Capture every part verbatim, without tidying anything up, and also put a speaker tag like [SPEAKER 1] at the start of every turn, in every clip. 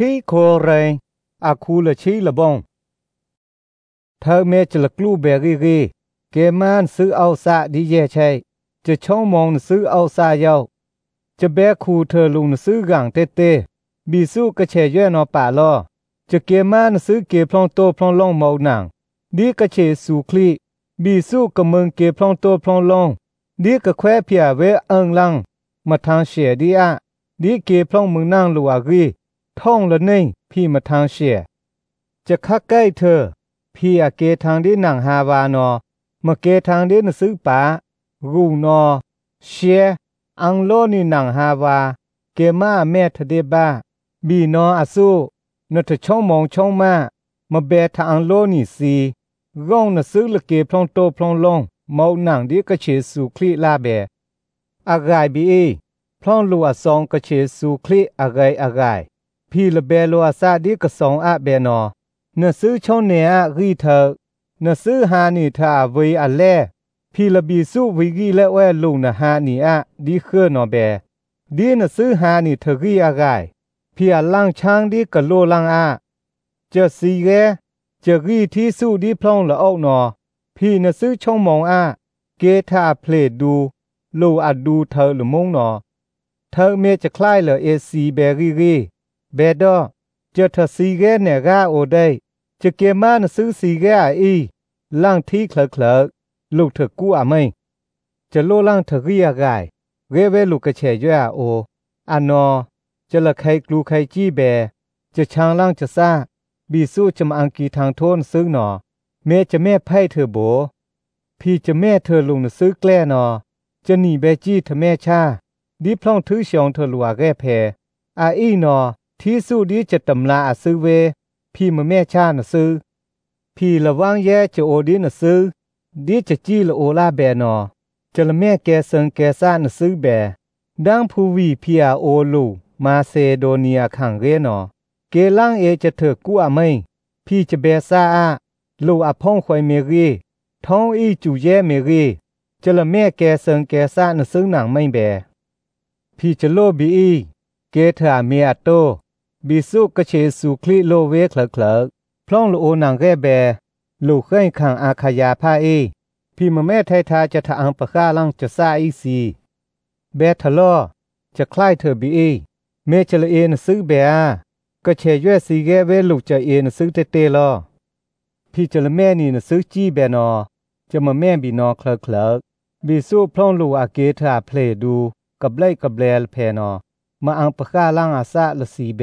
[SPEAKER 1] ขี้โคเรอาคูละชีละบงเธอเมจะละกลูเบรีรีเกมันซื้อเอาซาดีเย่ใช่จะช่องมองซื้อเอาซาเยาจะแบกคูเธอลุงซื้อกังเตเตบีสู้กระเฉยนอป่าลอจะเกมันซื้อเกพลองโตพลองลองเมาหนังดีกระเฉสูคลีบีสู้กะเมืองเกพลองโตพลองลองดีกะแควเพียเวเอิงลังมาทางเสียดีอะดีเกพลองเมืองนางลัวรีท่องละนิ่งพี่มาทางเสียจะคักใกล้เธอพี่อาเกทางดีหนังฮาวานอมาเกทางดีนซื้อป่ารูนอเชียอังโลนี่หนังฮาวาเกมาแม่ทะเดบ้าบีนออาสู้นทช่องมองช่องมามาเบทางโลนี่สีร่องนซื้อละเกพลองโตพลองลงเมาหนังดีกระเฉสูคลีลาเบอากายบีเอพลองลัวซองกระเฉสูคลีอากายอากายพี่ละเบลัวซาดีกระสองอะเบนอนซื้อช่องเนอะรีเธอนซื้อฮานี่ทาเวอะแลพี่ละบีสู้วิกีและแวลุงนะฮานี่อะดีเคอนอเบดีนซื้อฮานี่เธอรีอากายพี่อะลังช้างดีกะโลลังอะจะสีแกจะรีที่สู้ดีพลองละออกนอพี่นซื้อช่องมองอะเกทาเพลดดูโลอะดูเธอละมงนอเธอเมจะคล้ายละเอซีเบรีรีเบดอจะทสีแกเนกาโอได้จะเกมานซื้อสีแกอีล่างที่เคลเคลลูกเธอกู้อะไม่จะโลล่างเธอเรียกายเรเวลูกกระเฉยโออันนอจะละใครกลูใครจี้แบจะช้างล่างจะซาบีสู้จะมาอังกีทางโทนซื้อหนอเมจะแม่ไพ่เธอโบพี่จะแม่เธอลุงซื้อแกล้นอจะหนีเบจี้เธอแม่ชาดีพล่องถือเสียงเธอลัวแก่แพอาอีนอที่สู้ดีจะตำลาอาซื้อเวพี่มาแม่ชานะซื้อพี่ระวังแย่จะโอดีนะซื้อดีจะจี้ละโอลาแบนอจะละแม่แกเซิงแกซ่านะซื้อแบดังผู้วีพี่อาโอลูมาเซโดเนียขังเรนอเกล่างเอจะเถอกู้อะไม่พี่จะเบซาอะลูอาพ่องควายเมรีท้องอีจูแย่เมรีจะละแม่แกเซิงแกซ่านะซื้อหนังไม่แบพี่จะโลบีอีเกเธอเมียโตบิสุกเชสุคลีโลเวคลคลพล่องโลโอนังแกแบลูกเคยขังอาขยาพาเอพี่มาแม่ไททาจะทาอังปะข้าลังจะซาอีซีเบทลอจะคล้ายเธอบีเอเมจะละเอนซื้อเบอาก็เชยวยสีแกเวลูกจะเอนซื้อเตเตลอพี่จะละแม่นี่นะซื้อจี้แบนอจะมาแม่บีนอคลคลบิสุพล่องลูอาเกทาเพลดูกับไลกับแลลเพนอมาอังปะข้าล่างอาซาละสีแบ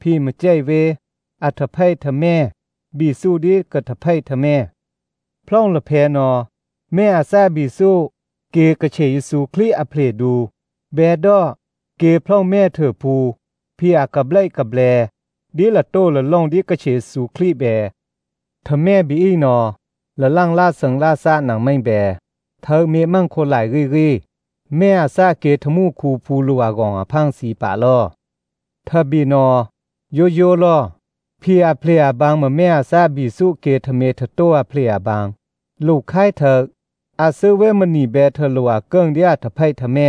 [SPEAKER 1] พี่มาใจเวอัทไพทะแม่บีสู้ดีกะทะไพทะแม่พล่องละเพนอแม่อาซาบีสู้เกกะเฉยสูคลีอเพลดูแบดอเกพล่องแม่เธอภูพี่อากับไลกับแลดีละโตละล่องดีกะเฉยสูคลีแบทะแม่บีอีนอละล่างลาสังลาซาหนังไม่แบเธอเมมั่งคนหลายรีรีแม่อาซาเกทมูคูภูลัวกองอพังสีป่าลอทะบีนอโยโย่ลอพี่อาเพลียบางมาแม่อาซาบีสุเกทเมทโตอาเพลียบางลูกไข่เถกอาซื้อเวมนีแบเธอลัวเกิงเดียทะไพทะแม่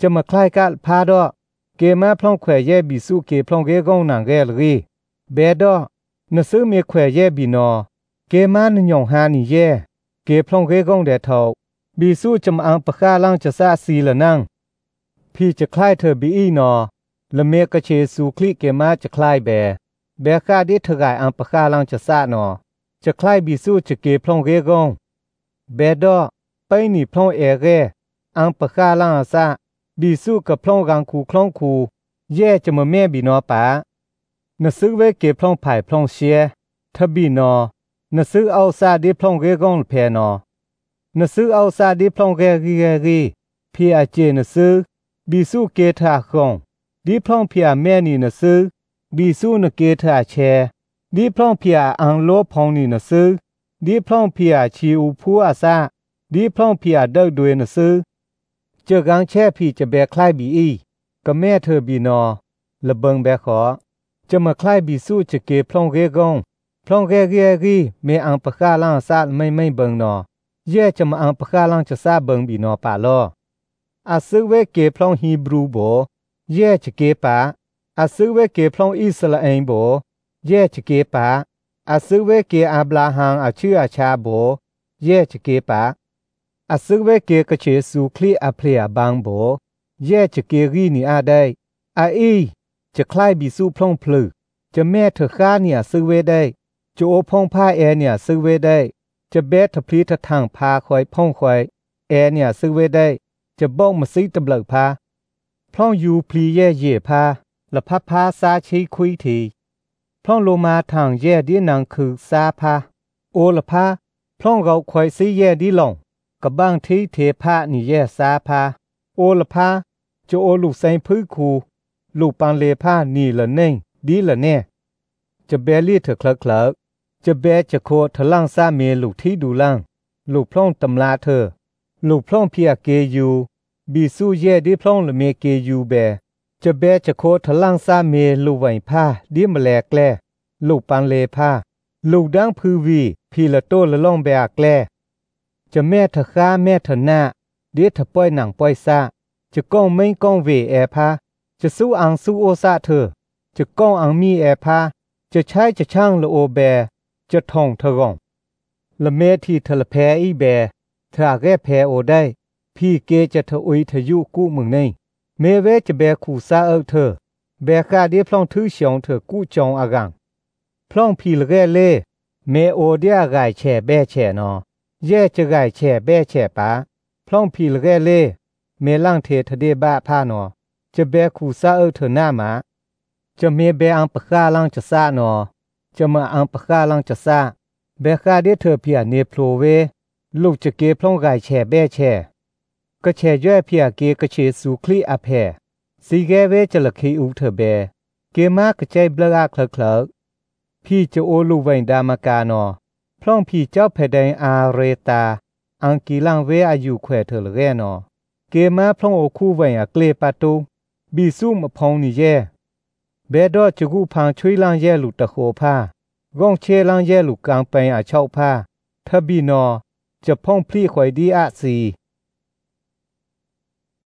[SPEAKER 1] จะมาคล้ายกะพาดอเกมาพล่องแขวแย่บีสุเกพล่องเกกองหนังแกลรีเบดอนซื้อเมแขวแย่บีนอเกมานหยองฮานี่แย่เกพล่องเกกองแดทอบีสู้จำอังปะข้าล่างจะซาซีละนั่งพี่จะคล้ายเธอบีอีนอละเมกะเชสูคลิเกมาจะคล้ายแบแบคาดิทกายอังปะข้าลังจะซานอจะคล้ายบิสู้จะเกพลองเรกงเบดอไปนี่พลองเอเรอังปะข้าลังอาซาบิสู้กับพลองรังคูคลองคูแย่จะมาแม่บีนอปานซื้อเวเกพลองไผ่พลองเชียทบีนอนซื้อเอาซาดิพลองเรกงเพนอนซื้อเอาซาดิพลองเรรีรีพี่อาเจนซื้อบิสู้เกทาคงดีพลองเพียแม่นี่นะซื้อบีสู้นเกทาแชดีพลองเพียอังโลพองนี่นะซื้อดีพลองเพียชีอูพูอาซาดีพลองเพียเดิกด้วยนะซื้อเจอกังแช่พี่จะแบกคล้ายบีอีก็แม่เธอบีนอละเบิงแบขอจะมาคล้ายบีสู้จะเกพลองเรกงพลองเรเรียรีเมอังปะข้าล่างซาไม่ไม่เบิงนอแย่จะมาอังปะข้าล่างจะซาเบิงบีนอป่าลออาซึเวเกพลองฮีบรูโบแย่จะเกปา อาซื้อเวเกพลองอิสราเอลโบแย่จะเกปะอาซื้อเวเกอับราฮัมอาชื่ออาชาโบแย่จะเกปะอาซื้อเวเกกระเชสูคลีอาเพลียบางโบแย่จะเกรีนี่อาได้อาอีจะคล้ายบิสูพลองพลือจะแม่เธอข้าเนี่ยซื้อเวได้จะโอพองผ้าแอเนี่ยซื้อเวได้จะเบสทพลีททางพาคอยพ่องคอยแอเนี่ยซื้อเวได้จะบ้องมาซีตำเลิกพาพลองยูพลีแย่เย่พาละพับพาซาชีคุยทีพลองโลมาทางแย่ดีนังคือซาพาโอละพาพลองเราคอยซีแย่ดีหลงกับบางที่เทพานี่แย่ซาพาโอละพาจะโอลูกไซพื้คูลูกปังเลพานี่ละเน่งดีละแน่จะเบลี่เถอะคลักคลักจะเบจะโคทะลังซาเมลูกที่ดูลังลูกพลองตำลาเธอลูกพลองเพียเกยูบีสู้เย่ดีพลองละเมเกยูเบจะเบจะโคทะลังซาเมลูกไหวผ้าดีมาแลแกลลูกปังเลผ้าลูกดังพือวีพีละโตละล่องแบกแกลจะแม่เถอะข้าแม่เถอะหน้าเดียเถอะป้อยหนังป้อยซาจะก้องไม่ก้องเวแอพาจะสู้อังสู้โอซาเธอจะก้องอังมีแอพาจะใช้จะช่างละโอแบจะท่องเธอร่องละเมที่เธอละแพอีแบเธอแก่แพโอได้พี่เกจะเธออุยเธอยุกู้มึงในเมเวจะแบขู่ซาเอเธอแบกาเดียพลองทื่อเฉียงเธอกู้จองอากังพลองพี่ละแก่เล่เมโอเดียกายแช่แบแช่นอแย่จะกายแช่แบแช่ปาพลองพี่ละแก่เล่เมลังเททะเดบ้าผ้านอจะแบขู่ซาเอเธอหน้ามาจะเมเบอังปะกาลังจะซานอจะมาอังปะกาลังจะซาเบคาเดเธอเพียเนโปรเวลูกจะเกพลองกายแช่แบแช่ก็แช่ย่อยเพียเกกระเชสูคลีอาแพสีแกเวจะละคีอูเธอเบเกมากระใจเบลาคลักคลักพี่จะโอลูเวนดามากานอพลองพี่เจ้าแผ่นดินอาเรตาอังกีลังเวอายุแขวเธอละแกนอเกมาพลองโอคู่เวนอเกลปาตูบีซูมพองนี่แย่เบดอจะกูพังช่วยลังแย่ลูตะโคผ้ากองเชลังแย่ลูกกลางไปอาเช่าผ้าทบีนอจะพ่องพลีข่อยดีอาสี